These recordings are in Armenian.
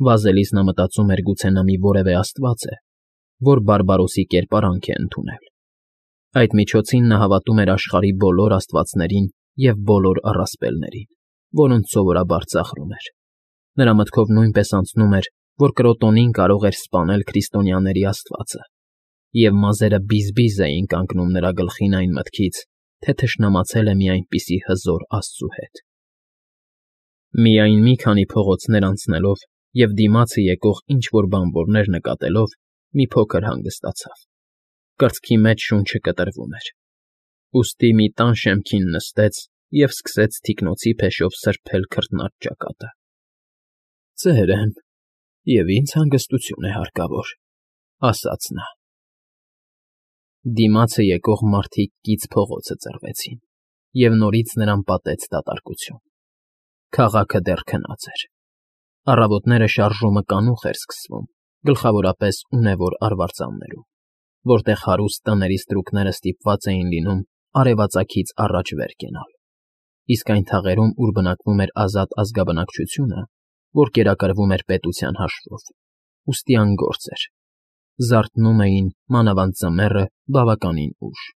Վազելիս նա մտածում էր գուցե նա մի որևէ աստված է, որ բարբարոսի կերպարանք է ընդունել։ Այդ միջոցին նա հավատում էր աշխարհի բոլոր աստվածներին և բոլոր առասպելներին, որոնց սովորաբար ծաղրում էր։ Նրա մտքով նույնպես անցնում էր, որ Կրոտոնին կարող էր սպանել քրիստոնյաների աստվածը, և մազերը բիզ-բիզ էին կանգնում նրա գլխին այն մտքից, թե թշնամացել է մի այնպիսի հզոր աստծու հետ։ Միայն մի քանի փողոցներ անցնելով և դիմացը եկող ինչ֊որ բանվորներ նկատելով մի փոքր հանգստացավ։ Կրծքի մեջ շունչը կտրվում էր։ Ուստի մի տան շեմքին նստեց և սկսեց թիկնոցի փեշով սրբել քրտնած ճակատը։ «Ծեր եմ, և ինձ հանգստություն է հարկավոր», ասաց նա։ Դիմացը եկող մարդիկ կից փողոցը ծռվեցին, և նորից նրան պատեց դատարկություն։ Քաղաքը դեռ քնած էր։ Առավոտները շարժումը կանուխ էր սկսվում, գլխավորապես ունևոր արվարձաններում, որտեղ հարուստ տների ստրուկները ստիպված էին լինում արևածագից առաջ վեր կենալ, իսկ այն թաղերում, ուր բնակվում էր ազատ ազգաբնակչությունը, որ կերակրվում էր պետության հաշվով, ուստի անգործ էր, զարթնում էին, մանավանդ ձմեռը, բավականին ուշ։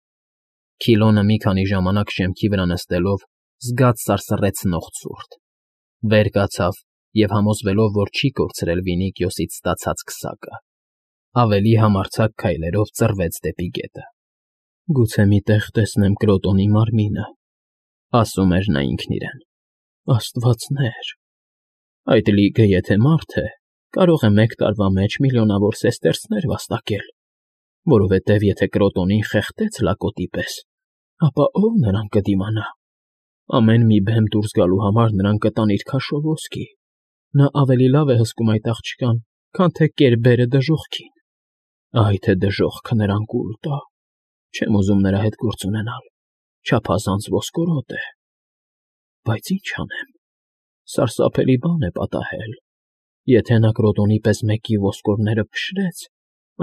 Քիլոնը մի քանի ժամանակ շեմքի վրա նստելով զգաց սարսռեցնող ցուրտ, վեր կացավ և, համոզվելով, որ չի կորցրել վինիքիոսից ստացած քսակը, ավելի համարձակ քայլերով ծռվեց դեպի գետը։ «Գուցե մի տեղ տեսնեմ Կրոտոնի մարմինը», ասում էր նա ինքն իրեն։ «Աստվածներ, այդ լիգը եթե մարդ է, կարող է մեկ տարվա մեջ միլիոնավոր սեստերցներ վաստակել, որովհետև եթե Կրոտոնին խեղդեց լակոտի պես, ապա ով նրան կդիմանա։ Ամեն մի բեմ դուրս գալու համար նրան կտան իր քաշով ոսկի։ Նա ավելի լավ է հսկում այդ աղջկան, քան թե կերբերը դժոխքին։ Այ թե դժոխքը նրան կուլ տա։ Չեմ ուզում նրա հետ գործ ունենալ, չափազանց ոսկորոտ է։ Բայց ինչ անեմ, սարսափելի բան է պատահել։ Եթե նա Կրոտոնի պես մեկի ոսկորները փշրեց,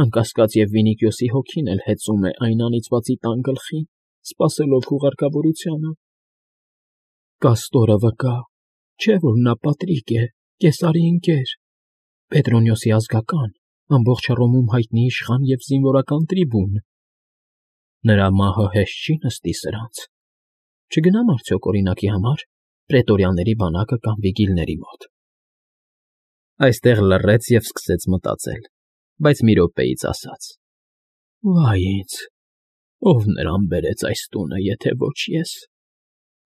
անկասկած և Վինիքիոսի հոգին էլ հեծում է այն անիծվածի տան գլխին, սպասելով հուղարկավորությանը։ Կաստորը վկա, չէ՞ որ նա Պատրիկ է, Կեսարի ընկեր, Պետրոնիոսի ազգական, ամբողջ Հռոմում հայտնի իշխան և զինվորական տրիբուն։ Նրա մահը հեշտ չի նստի սրանց։ Չգնամ արդյոք օրինակի համար պրետորյանների բանակը կամ վիգիլների մոտ։ Այստեղ լռեց և սկսեց մտածել, բայց մի րոպեից ասաց. «Վայ ինձ, ով նրան բերեց այս տունը, եթե ոչ ես։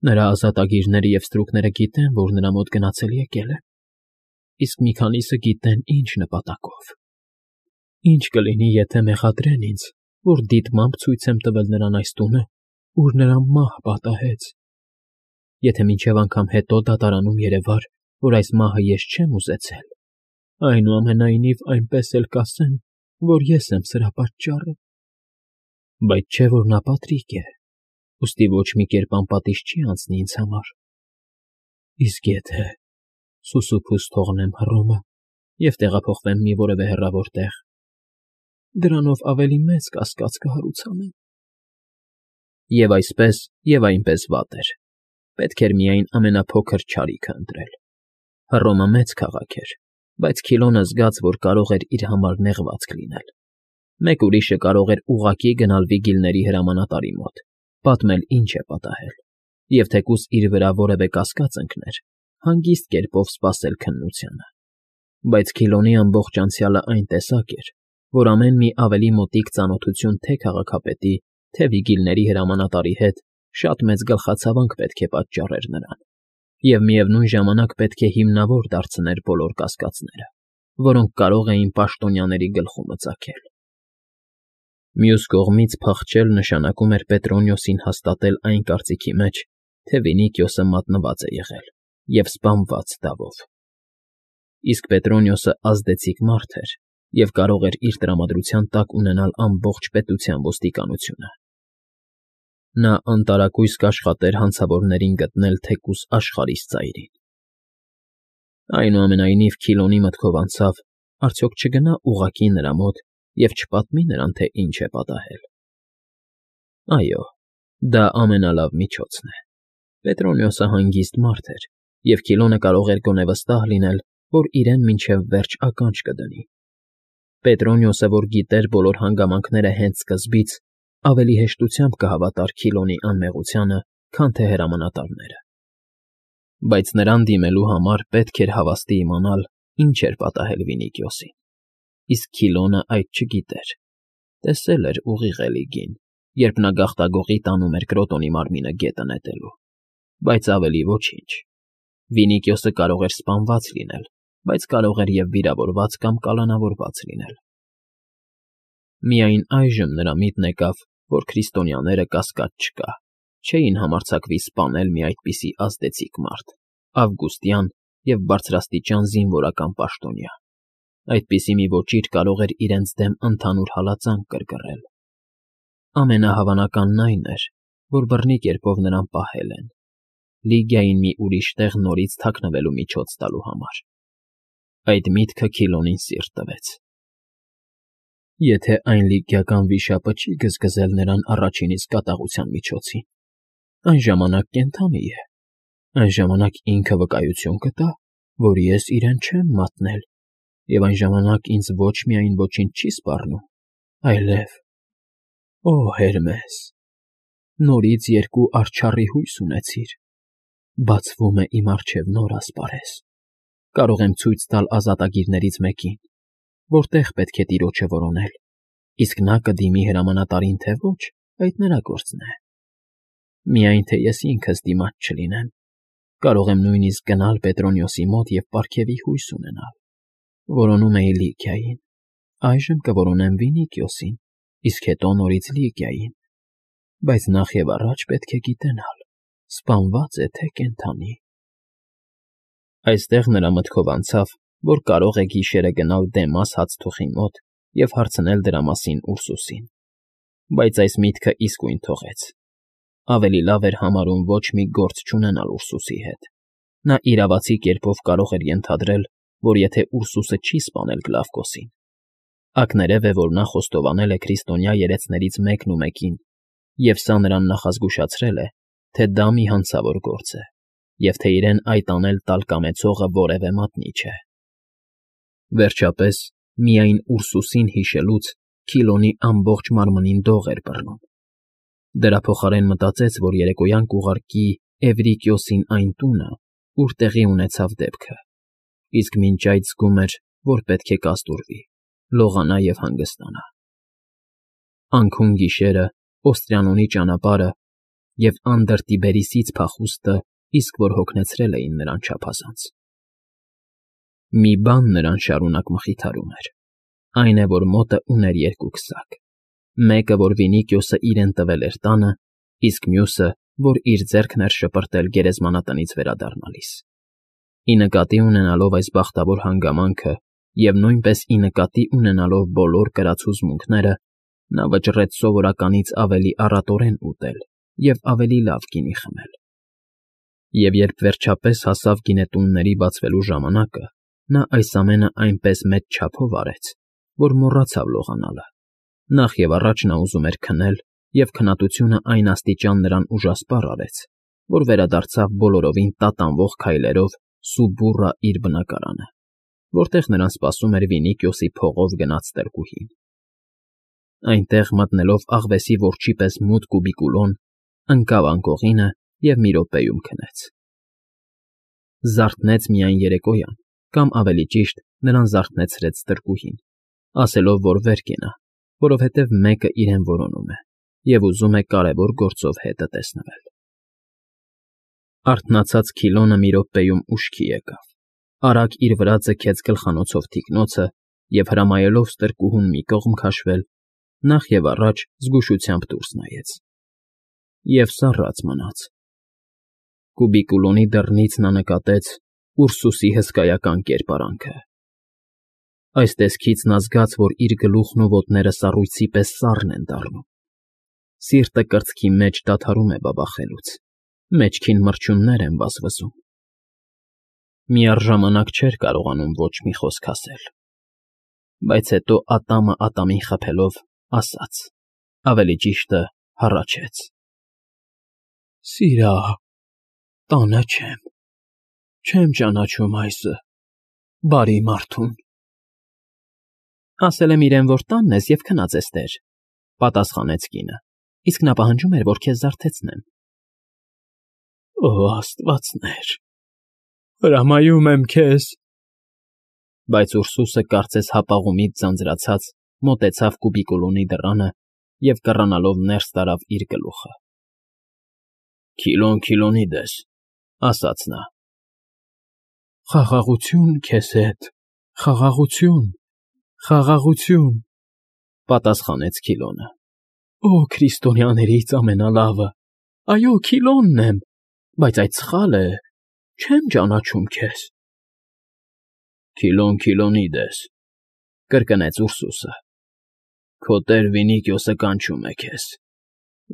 Նրա ազատագիրները և ստրուկները գիտեն, որ նրա մոտ գնացել֊եկել եմ, իսկ մի քանիսը գիտեն ինչ նպատակով։ Ինչ կլինի, եթե մեղադրեն ինձ, որ դիտմամբ ցույց եմ տվել նրան այս տունը, ուր նրան մահ պատահեց։ Եթե մինչև անգամ հետո դատարանում երևար, որ այս մահը ես չեմ ուզեցել, այնուամենայնիվ այնպես էլ կասեն, որ ես եմ սրա պատճառը։ Բայց չէ՞ որ նա Պատրիկ է, ուստի ոչ մի կերպ անպատիժ չի անցնի ինձ համար։ Իսկ եթե սուսուփուս թողնեմ Հռոմը և տեղափոխվեմ մի որևէ հեռավոր տեղ, դրանով ավելի մեծ կասկած կհարուցանեմ»։ Եվ այսպես, և այնպես վատ էր։ Պետք էր միայն ամենափոքր չարիքը ընտրել։ Հռոմը մեծ քաղաք էր, բայց Քիլոնը զգաց, որ կարող էր իր համար նեղվածք լինել։ Մեկ ուրիշը կարող էր ուղղակի գնալ վիգիլների հրամանատարի մոտ, պատմել ինչ է պատահել, և թեկուզ իր վրա որևէ կասկած ընկներ, հանգիստ կերպով սպասել քննությանը։ Բայց Քիլոնի ամբողջ անցյալը այն տեսակ էր, որ ամեն մի ավելի մոտիկ ծանոթություն թե՛ քաղաքապետի, թե՛ վիգիլների հրամանատարի հետ շատ մեծ գլխացավանք պետք է պատճառեր նրան, և միևնույն ժամանակ պետք է հիմնավոր դարձներ բոլոր կասկածները, որոնք կարող էին պաշտոնյաների գլխումը ծագել։ Մյուս կողմից փախչել նշանակում էր Պետրոնիոսին հաստատել այն կարծիքի մեջ, թե Վինիքիոսը մատնված է եղել և սպանված դավով։ Իսկ Պետրոնիոսը ազդեցիկ մարդ էր և կարող էր իր տրամադրության տակ ունենալ ամբողջ պետության ոստիկանությունը։ Նա անտարակույս կաշխատեր հանցավորներին գտնել թեկուզ աշխարհիս ծայրին։ Այնուամենայնիվ Քիլոնի մտքով անցավ, արդյոք չգնա ուղղակի նրա մոտ և չպատմի նրան, թե ինչ է պատահել։ Այո, դա ամենալավ միջոցն է։ Պետրոնիոսը հանգիստ մարդ էր, և Քիլոնը կարող էր գոնե վստահ լինել, որ իրեն մինչև վերջ ականջ կդնի։ Պետրոնիոսը, որ գիտեր բոլոր հանգամանքները հենց սկզբից, ավելի հեշտությամբ կհավատար Քիլոնի անմեղությանը, քան թե հրամանատարները։ Բայց նրան դիմելու համար պետք էր հավաստի իմանալ, ինչ էր պատահել Վինիկիոսին։ Իսկ Քիլոնը այդ չգիտեր։ Տեսել էր ուղիղ Էլիգին, երբ նա գաղտագողի տանում էր Կրոտոնի մարմինը գետը նետելու, բայց ավելի ոչինչ։ Վինիկիոսը կարող էր սպանված լինել, բայց կարող էր և վիրավորված կամ կալանավորված լինել։ Միայն այժմ նրա միտքն եկավ, որ քրիստոնյաները կասկած չկա, չէին համարձակվի սպանել մի այդպիսի ազդեցիկ մարդ, ավգուստյան և բարձրաստիճան զինվորական պաշտոնյա։ Այդպիսի մի ոճիր կարող էր իրենց դեմ ընդհանուր հալածանք կրկռել։ Ամենահավանականն այն էր, որ բռնի կերպով նրան պահել են, Լիգիային մի ուրիշ տեղ նորից թաքնվելու միջոց տալու համար։ Այդ միտքը Քիլոնին սիրտ տվեց։ Եթե այն լիգիական վիշապը չի գզգզել նրան առաջին իսկ կատաղության միջոցին, այն ժամանակ կենդանի է, այն ժամանակ ինքը վկայություն կտա, որ ես իրեն չեմ մատնել, և այն ժամանակ ինձ ոչ միայն ոչինչ չի սպառնում, այլև… Օ, Հերմես, նորից երկու արջառի հույս ունեցիր, բացվում է իմ առջև նոր ասպարեզ, կարող եմ ցույց տալ ազատագիրներից մեկին, որտեղ պետք է տիրոջը որոնել, իսկ նա կդիմի հրամանատարին թե ոչ, այդ նրա գործն է։ Միայն թե ես ինքս դիմաց չլինեմ, կարող եմ նույնիսկ գնալ Պետրոնիոսի մոտ և պարգևի հույս ունենալ։ Որոնում էի Լիգիային, այժմ կորոնեմ Վինիկիոսին, իսկ հետո նորից Լիգիային, բայց նախ և առաջ պետք է գիտենալ, սպանված է թե կենդանի։ Այստեղ նրա մտքով անցավ, որ կարող է գիշերը գնալ Դեմաս հացթուխի մոտ և հարցնել դրա մասին Ուրսուսին, բայց այս միտքը իսկույն թողեց։ Ավելի լավ էր համարում ոչ մի գործ չունենալ Ուրսուսի հետ։ Նա իրավացի կերպով կարող էր ենթադրել, որ եթե Ուրսուսը չի սպանել Գլավկոսին, ակներև է, որ նա խոստովանել է քրիստոնյա երեցներից մեկն ու մեկին, և սա նրան նախազգուշացրել է, թե դա մի հանցավոր գործ է, և թե իրեն այդ անել տալ կամեցողը որևէ մատնի չէ։ Վերջապես, միայն Ուրսուսին հիշելուց Քիլոնի ամբողջ մարմնին դող էր բռնում։ Դրա փոխարեն մտածեց, որ երեկոյան կուղարկի Էվրիկիոսին այն տունը, ուր տեղի ունեցավ դեպքը, իսկ մինչ այդ զգում էր, որ պետք է կազդուրվի, լողանա և հանգստանա։ Անքուն գիշերը, Օստրիանոնի ճանապարհը և Անդր Տիբերիսից փախուստը իսկ որ հոգնեցրել էին նրան չափազանց։ Մի բան նրան շարունակ մխիթարում էր, այն է, որ մոտը ուներ երկու քսակ, մեկը, որ Վինիկիոսը իրեն տվել էր տանը, իսկ մյուսը, որ իր ձեռքն էր շպրտել գերեզմանատնից վերադառնալիս։ Ի նկատի ունենալով այս բախտավոր հանգամանքը և նույնպես ի նկատի ունենալով բոլոր կրած հուզմունքները, նա վճռեց սովորականից ավելի առատորեն ուտել և ավելի լավ գինի խմել։ Եվ երբ վերջապես հասավ գինետունների բացվելու ժամանակը, նա այս ամենը այնպես մեծ չափով արեց, որ մոռացավ լողանալը։ Նախ և առաջ նա ուզում էր քնել, և քնածությունը այն աստիճան նրան ուժասպառ արեց, որ վերադարձավ բոլորովին տատանվող քայլերով սուբուռա իր բնակարանը, որտեղ նրան սպասում էր Վինիկիոսի փողով գնաց տրկուհին։ Այնտեղ մտնելով աղվեսի որջի պես մութ կուբիկուլոն, ընկավ անկողինը և մի րոպեում քնեց։ Զարթնեց միայն երեկոյան, կամ ավելի ճիշտ, նրան զարթնեցրեց տրկուհին, ասելով, որ վեր կենա, որովհետև մեկը իրեն որոնում է և ուզում է կարևոր գործով հետը տեսնվել։ Արթնացած Քիլոնը մի րոպեում ուշքի եկավ, արագ իր վրա ձգեց գլխանոցով թիկնոցը և հրամայելով ստրկուհուն մի կողմ քաշվել, նախ և առաջ զգուշությամբ դուրս նայեց։ Եվ սառած մնաց։ Կուբիկուլոնի դռնից նա նկատեց Ուրսուսի հսկայական կերպարանքը։ Այս տեսքից նա զգաց, որ իր գլուխն ու ոտները սառույցի պես սառն են դառնում։ Սիրտը կրծքի մեջ դադարում է բաբախելուց, մեջքին մրջյուններ են վազվզում։ Միառժամանակ չէր կարողանում ոչ մի խոսք ասել, բայց հետո ատամը ատամին խփելով ասաց, ավելի ճիշտը հառաչեց. Սիրահ, տանը չեմ ճանաչում այսը, Բարի մարդուն։ Ասել եմ իրեն, որ տանն ես և քնած ես տեր, պատասխանեց կինը, իսկ նա պահանջում էր, որ քեզ զարթեցնեմ։ Օ, աստվածներ, հրամայում եմ քեզ։ Բայց Ուրսուսը, կարծես հապաղումից ձանձրացած, մոտեցավ կուբիկուլոնի դռանը և կռանալով ներս տարավ իր գլուխը։ Քիլոնիդես, ասաց նա։ Խաղաղություն քեզ հետ, խաղաղություն, պատասխանեց Քիլոնը։ Օ, քրիստոնյաներից ամենալավը, այո, Քիլոնն եմ, բայց այդ սխալ է, չեմ ճանաչում քեզ։ Քիլոնիդես, կրկնեց Ուրսուսը։ Քո տեր Վինիկիոսը կանչում է քեզ,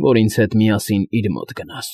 որ ինձ հետ միասին իր մոտ գնաս։